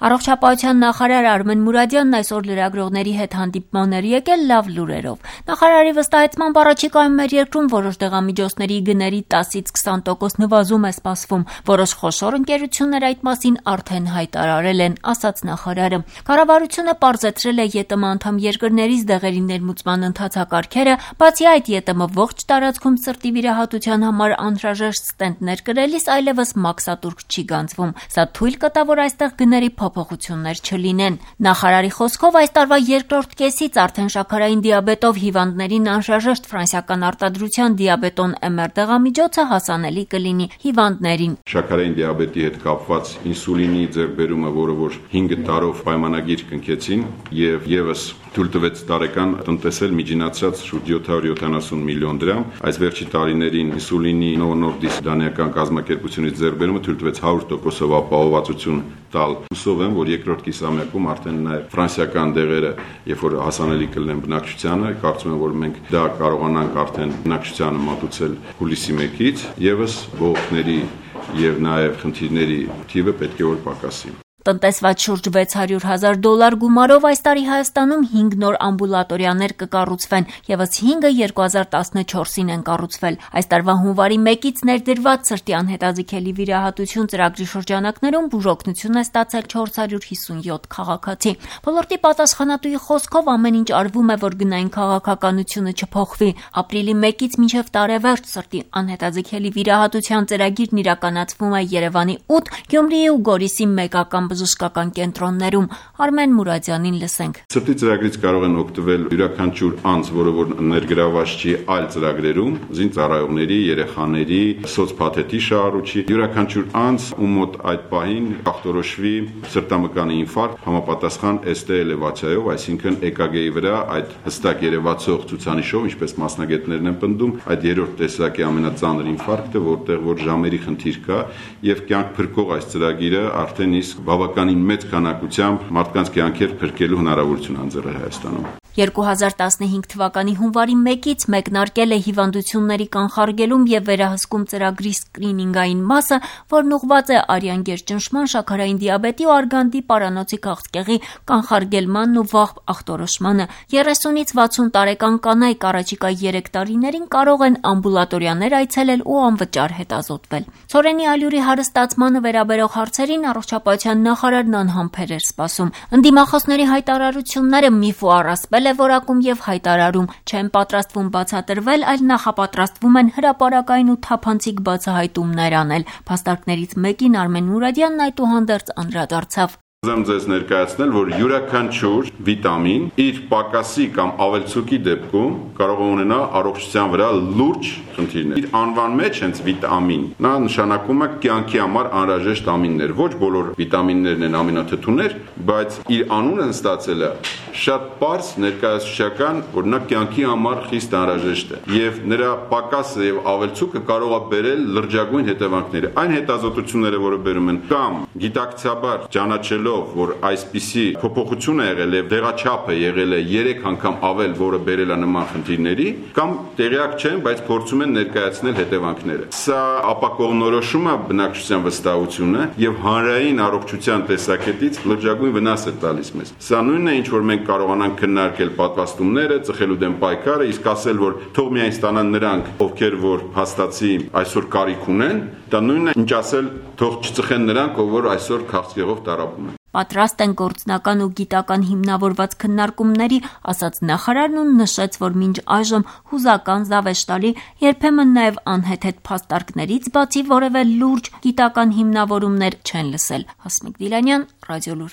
Առողջապահության նախարար Արմեն Մուրադյանն այսօր լրագրողների հետ հանդիպման էր եկել լավ լուրերով։ Նախարարի վստահեցմամբ առաջիկայում մեր երկրում որոշ դեղամիջոցների գների 10-ից 20% նվազում է սպասվում։ Որոշ խոշոր ընկերություններ այդ մասին արդեն հայտարարել են, ասաց նախարարը։ Կառավարությունը պարզեցրել է ԵՏՄ անդամ երկրներից դեղերի ներմուծման ընթացակարգերը, բացի այդ ԵՏՄ ողջ տարածքում սրտի վիրահատության համար անհրաժեշտ ստենտներ կրելիս այլևս մաքսատուրք չի գանձվում։ Սա թույլ կտա, որ այստեղ գների փոփոխություններ չլինեն։ Նախարարի խոսքով այս տարվա երկրորդ կեսից արդեն շաքարային դիաբետով հիվանդներին անհրաժեշտ ֆրանսիական արտադրության դիաբետոն MR դեղամիջոցը հասանելի կլինի հիվանդներին։ Շաքարային դիաբետի հետ կապված ինսուլինի ձեռքբերումը, որը որ 5 տարով պայմանագիր կնքեցին եւ եւս թույլ տվեց տարեկան տնտեսել միջինացած շուրջ 770 միլիոն դրամ։ Այս վերջի տարիներին ինսուլինի Novo Nordisk դանիական կազմակերպությունից ձեռքբերումը թույլ տվեց 100%-ով ապահովվածություն տալ։ Հուսով եմ, որ երկրորդ կիսամյակում արդեն նաև ֆրանսիական դեղերը, երբ որ հասանելի կլինեն բնակչությանը, կարծում եմ, որ մենք դա կարողանանք արդեն բնակչությանը մատուցել հուլիսի 1-ից, եւս բողոքների եւ նաև խնդիրների թիվը պետք է որ պակասի։ Տնտեսված շուրջ $600,000 գումարով այս տարի Հայաստանում 5 նոր ամբուլատորիաներ կկառուցվեն, եւս 5-ը 2014-ին են կառուցվել։ Այս տարվա հունվարի 1-ից ներդրված սրտի անհետաձգելի վիրահատություն ծրագրի շրջանակներում բուժօգնություն է ստացել 457 քաղաքացի։ Ոլորտի պատասխանատուի խոսքով ամեն ինչ արվում է, որ գնային քաղաքականությունը չփոխվի։ Ապրիլի 1-ից մինչև տարեվերջ սրտի անհետաձգելի վիրահատության ծրագիրն իրականացվում է Երևանի 8, Գյումրիի ու Գորիսի մեկական բժշկական կենտրոններում։ Արմեն Մուրադյանին լսենք։ Սրտի ծրագրից կարող են օգտվել յուրաքանչյուր անձ, որը որ ներգրաված չի այլ ծրագրերում, զինծառայողների, երեխաների, սոցփաթեթի շահառուչի, յուրաքանչյուր անձ, ում մոտ այդ պահին ախտորոշվի սրտամկանի ինֆարկտ համապատասխան ST էլևացիայով, այսինքն EKG-ի վրա այդ հստակ երևացող ցուցանիշով, ինչպես մասնագետներն են պնդում, այդ երրորդ տեսակի ամենածանր ինֆարկտը, որտեղ որ ժամերի խնդիր կա եւ կյանք փրկող այս ծրագիրը արդեն իսկ բավականին մեծ քանակությամբ մարդկանց կյանքեր փրկելու հնարավորություն անձեռել Հայաստանում։ 2015 թվականի հունվարի 1-ից մեկնարկել է հիվանդությունների կանխարգելում եւ վերահսկում ծրագրի սկրինինգային մասը, որն ուղղված է արյան գերճնշման, շաքարային դիաբետի ու արգանդի պարանոցի քաղցկեղի կանխարգելմանն ու վաղ ախտորոշմանը։ 30-ից 60 տարեկան կանայք առաջիկա 3 տարիներին կարող են ամբուլատորիաներ այցելել ու անվճար հետազոտվել։ Ցորենի ալյուրի հարստացմանը վերաբերող հարցերին առողջապահության նախարարն անհամբեր էր սպասում։ Ընդդիմախոսների հայտարարությունները միֆ ու առասպել է որակում եւ հայտարարում չեն պատրաստվում բացատրվել, այլ նախապատրաստվում են հրապարակային ու թափանցիկ բացահայտումներ անել։ Փաստարկներից մեկին Արմեն Մուրադյանն այդուհանդերձ անդրադարձավ։ Ուզում ձեզ ներկայացնել, որ յուրաքանչյուր վիտամին իր պակասի կամ ավելցուկի դեպքում կարող է ունենալ առողջության վրա լուրջ խնդիրներ։ Իր անվան մեջ հենց վիտամին, նա նշանակում է կյանքի համար անհրաժեշտ ամիններ։ Ոչ բոլոր վիտամիններն են ամինաթթուներ, բայց իր անունը ստացել է շատ պարզ ներկայացուցչական, որ նա կյանքի համար խիստ անհրաժեշտ է եւ նրա պակասը եւ ավելցուկը կարող է բերել լրջագույն հետևանքներ։ Այն հետազոտությունները, որը բերում են կամ գիտակցաբար ճանաչելով, որ այսպիսի փոփոխություն է եղել եւ դեղաչափը եղել է 3 անգամ ավել, որը բերել է նման խնդիրների, կամ տեղյակ չեն, բայց փորձում են ներկայացնել հետևանքները։ Սա ապակողնորոշում է բնակչության վստահությունը եւ հանրային առողջության տեսակետից լրջագույն վնաս է տալիս մեզ։ Սա նույնն է, ինչ որ մենք կարողանանք քննարկել պատվաստումները, ծխելու դեմ պայքարը, իսկ ասել, որ թող միայն ստանան նրանք, ովքեր որ հաստացի այսօր կարիք ունեն, դա նույնն է, ինչ ասել, թող չծխեն նրանք, ով որ այսօր քաղցկեղով տառապում են։ Պատրաստ են գործնական ու գիտական հիմնավորված քննարկումների, ասաց նախարարն ու նշեց, որ մինչ այժմ հուզական, զավեշտալի, երբեմն նաև անհեթեթ փաստարկներից բացի որևէ լուրջ գիտական հիմնավորումներ չեն լսել։ Հասմիկ Դիլանյան, Ռադիոլուր։